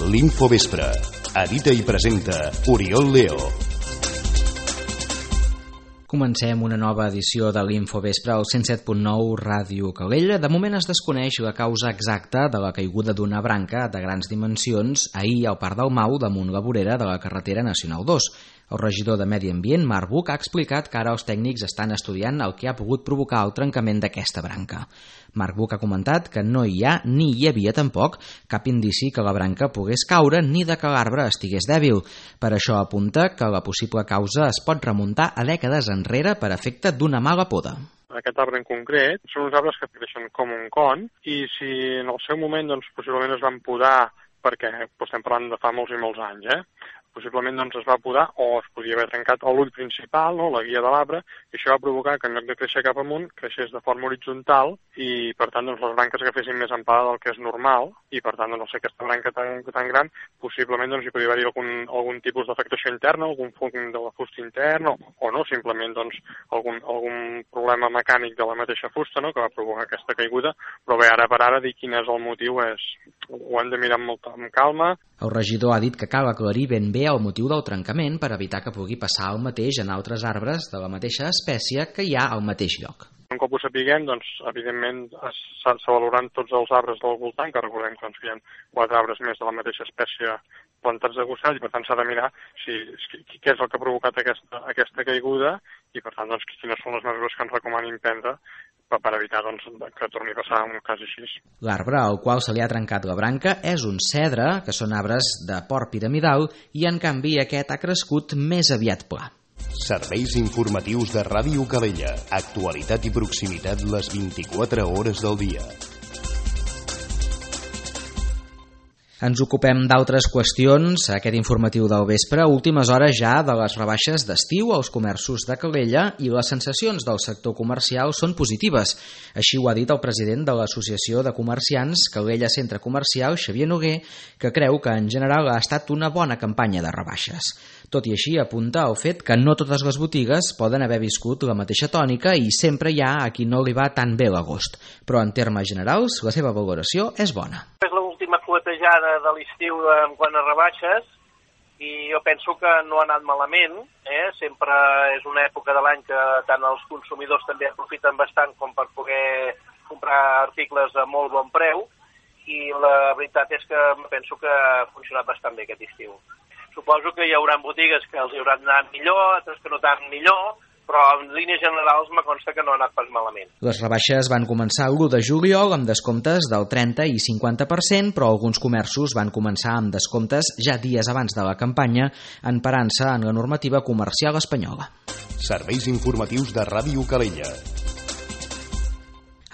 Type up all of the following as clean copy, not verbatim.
L'Infovespre. Edita i presenta Oriol Leo. Comencem una nova edició de l'Infovespre al 107.9 Ràdio Calella. De moment es desconeix la causa exacta de la caiguda d'una branca de grans dimensions ahir al Parc del Mau damunt la vorera de la carretera Nacional 2. El regidor de Medi Ambient, Marc Buch, ha explicat que ara els tècnics estan estudiant el que ha pogut provocar el trencament d'aquesta branca. Marc Buch ha comentat que no hi ha, ni hi havia tampoc, cap indici que la branca pogués caure ni de que l'arbre estigués dèbil. Per això apunta que la possible causa es pot remuntar a dècades enrere per efecte d'una mala poda. Aquest arbre en concret són uns arbres que creixen com un con i si en el seu moment possiblement es van podar, perquè estem parlant de fa molts i molts anys, possiblement es va podar o es podia haver trencat l'ull principal, la guia de l'arbre, i això va provocar que en lloc de créixer cap amunt, creixés de forma horitzontal i per tant les branques agafessin més amplada del que és normal i per tant aquesta branca tan gran possiblement hi podria haver algun tipus d'afectació interna, algun fong de la fusta interna o no, simplement algun problema mecànic de la mateixa fusta que va provocar aquesta caiguda, però bé, ara per ara dir quin és el motiu ho hem de mirar amb calma. El regidor ha dit que cal aclarir ben bé el motiu del trencament per evitar que pugui passar el mateix en altres arbres de la mateixa espècie que hi ha al mateix lloc. Un cop ho sapiguem, evidentment s'avaloraran tots els arbres del voltant, que recordem que hi ha 4 arbres més de la mateixa espècie plantats de gossall, i per tant s'ha de mirar què és el que ha provocat aquesta caiguda i per tant quines són les mesures que ens recomanin prendre per evitar que torni a passar un cas així. L'arbre al qual se li ha trencat la branca és un cedre, que són arbres de port piramidal, i en canvi aquest ha crescut més aviat pla. Serveis informatius de Ràdio Calella. Actualitat i proximitat les 24 hores del dia. Ens ocupem d'altres qüestions, aquest informatiu del vespre, últimes hores ja de les rebaixes d'estiu als comerços de Calella i les sensacions del sector comercial són positives. Així ho ha dit el president de l'Associació de Comerciants Calella Centre Comercial, Xavier Noguer, que creu que en general ha estat una bona campanya de rebaixes. Tot i així apunta el fet que no totes les botigues poden haver viscut la mateixa tònica i sempre hi ha a qui no li va tan bé l'agost. Però en termes generals la seva valoració és bona. És l'última fuetejada de l'estiu en quant a rebaixes i jo penso que no ha anat malament. Sempre és una època de l'any que tant els consumidors també aprofiten bastant com per poder comprar articles a molt bon preu i la veritat és que penso que ha funcionat bastant bé aquest estiu. Suposo que hi haurà botigues que els hi hauran anat millor, altres que no tan millor, però en línies generals me consta que no ha anat pas malament. Les rebaixes van començar l'1 de juliol amb descomptes del 30 i 50%, però alguns comerços van començar amb descomptes ja dies abans de la campanya, emparant-se en la normativa comercial espanyola. Serveis informatius de Ràdio Calella.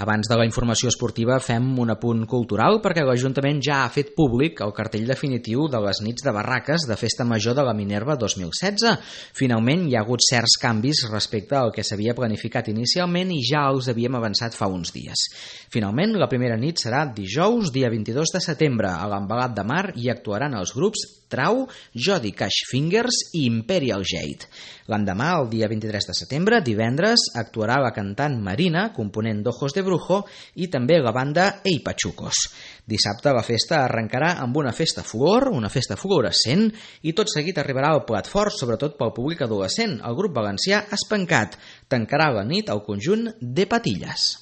Abans de la informació esportiva fem un apunt cultural perquè l'Ajuntament ja ha fet públic el cartell definitiu de les nits de barraques de Festa Major de la Minerva 2016. Finalment hi ha hagut certs canvis respecte al que s'havia planificat inicialment i ja els havíem avançat fa uns dies. Finalment, la primera nit serà dijous, dia 22 de setembre, a l'Embalat de Mar i actuaran els grups Trau, Jody Cash Fingers i Imperial Jade. L'endemà, el dia 23 de setembre, divendres, actuarà la cantant Marina, component d'Ojos de Brujo, i també la banda Ei Pachucos. Dissabte la festa arrencarà amb una festa flor, una festa fluorescent, i tot seguit arribarà al plat fort, sobretot pel públic adolescent. El grup valencià Espancat tancarà la nit al conjunt de Patilles.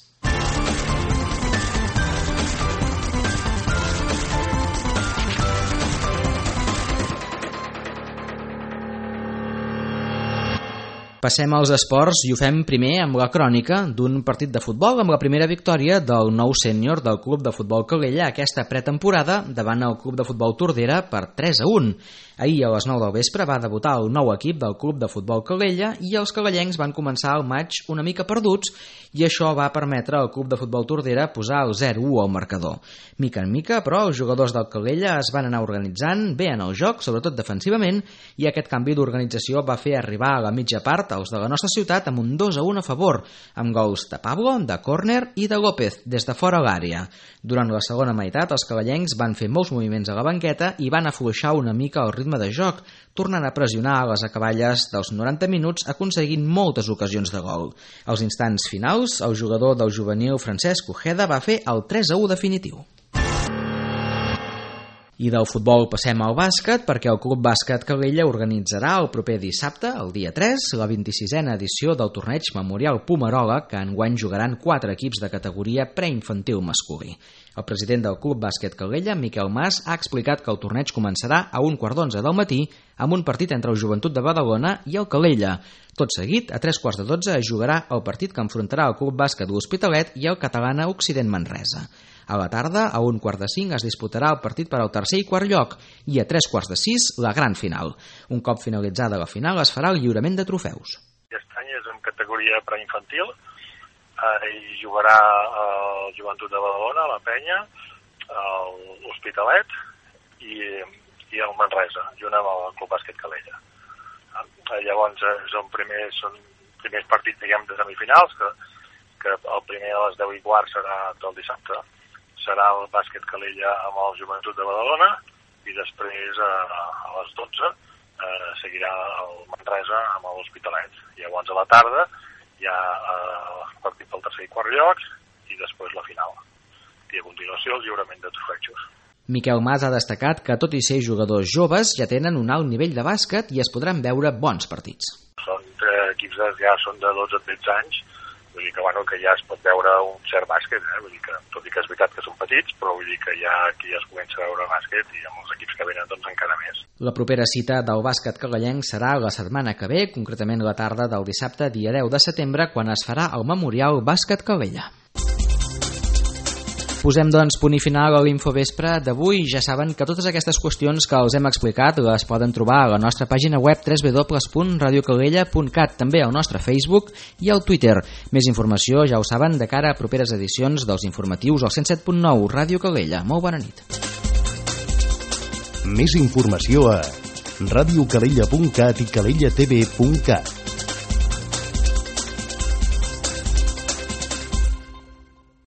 Passem als esports i ho fem primer amb la crònica d'un partit de futbol amb la primera victòria del nou sènior del Club de Futbol Calella aquesta pretemporada davant el Club de Futbol Tordera per 3-1. Ahir a les 9 del vespre va debutar el nou equip del Club de Futbol Calella i els calellencs van començar el maig una mica perduts i això va permetre al Club de Futbol Tordera posar el 0-1 al marcador. Mica en mica, però, els jugadors del Calella es van anar organitzant bé en el joc, sobretot defensivament, i aquest canvi d'organització va fer arribar a la mitja part els de la nostra ciutat amb un 2-1 a favor, amb gols de Pablo, de córner i de López des de fora l'àrea. Durant la segona meitat, els calellencs van fer molts moviments a la banqueta i van afluixar una mica el ritme de joc, tornant a pressionar a les acaballes dels 90 minuts aconseguint moltes ocasions de gol. Als instants finals, el jugador del juvenil Francesc Ojeda va fer el 3-1 definitiu. I del futbol passem al bàsquet, perquè el Club Bàsquet Calella organitzarà el proper dissabte, el dia 3, la 26a edició del torneig Memorial Pomerola, que enguany jugaran 4 equips de categoria preinfantil masculí. El president del Club Bàsquet Calella, Miquel Mas, ha explicat que el torneig començarà a 11:15 del matí amb un partit entre el Joventut de Badalona i el Calella. Tot seguit, a 11:45 es jugarà el partit que enfrontarà el Club Bàsquet L'Hospitalet i el Catalana Occident Manresa. A la tarda, a 1:45, es disputarà el partit per al tercer i quart lloc i a 3:45 la gran final. Un cop finalitzada la final es farà el lliurament de trofeus. Aquest any és en categoria preinfantil i jugarà el Joventut de Badalona, la Penya, l'Hospitalet i el Manresa, junt amb el Club Bàsquet Calella. Llavors són primers partits, diguem, de semifinals, que el primer a les 10:15 serà del dissabte. Serà el Bàsquet Calella amb el Joventut de Badalona i després a les 12 seguirà el Manresa amb l'Hospitalet. Llavors a la tarda hi ha el partit pel tercer i quart lloc i després la final. I a continuació el lliurament de trofeus. Miquel Mas ha destacat que, tot i ser jugadors joves, ja tenen un alt nivell de bàsquet i es podran veure bons partits. Són equips ja són de 12-13 anys, vull dir que ja es pot veure un cert bàsquet, vull dir que, tot i que és veritat que són petits, però vull dir que aquí ja es comença a veure bàsquet i amb els equips que venen doncs encara més. La propera cita del bàsquet calellenc serà la setmana que ve, concretament la tarda del dissabte, dia 10 de setembre, quan es farà el Memorial Bàsquet Calella. Posem, doncs, punt i final a l'Infovespre d'avui. Ja saben que totes aquestes qüestions que els hem explicat les poden trobar a la nostra pàgina web www.radiocalella.cat, també al nostre Facebook i al Twitter. Més informació, ja ho saben, de cara a properes edicions dels informatius al 107.9 Ràdio Calella. Molt bona nit. Més informació a radiocalella.cat i calellatv.cat.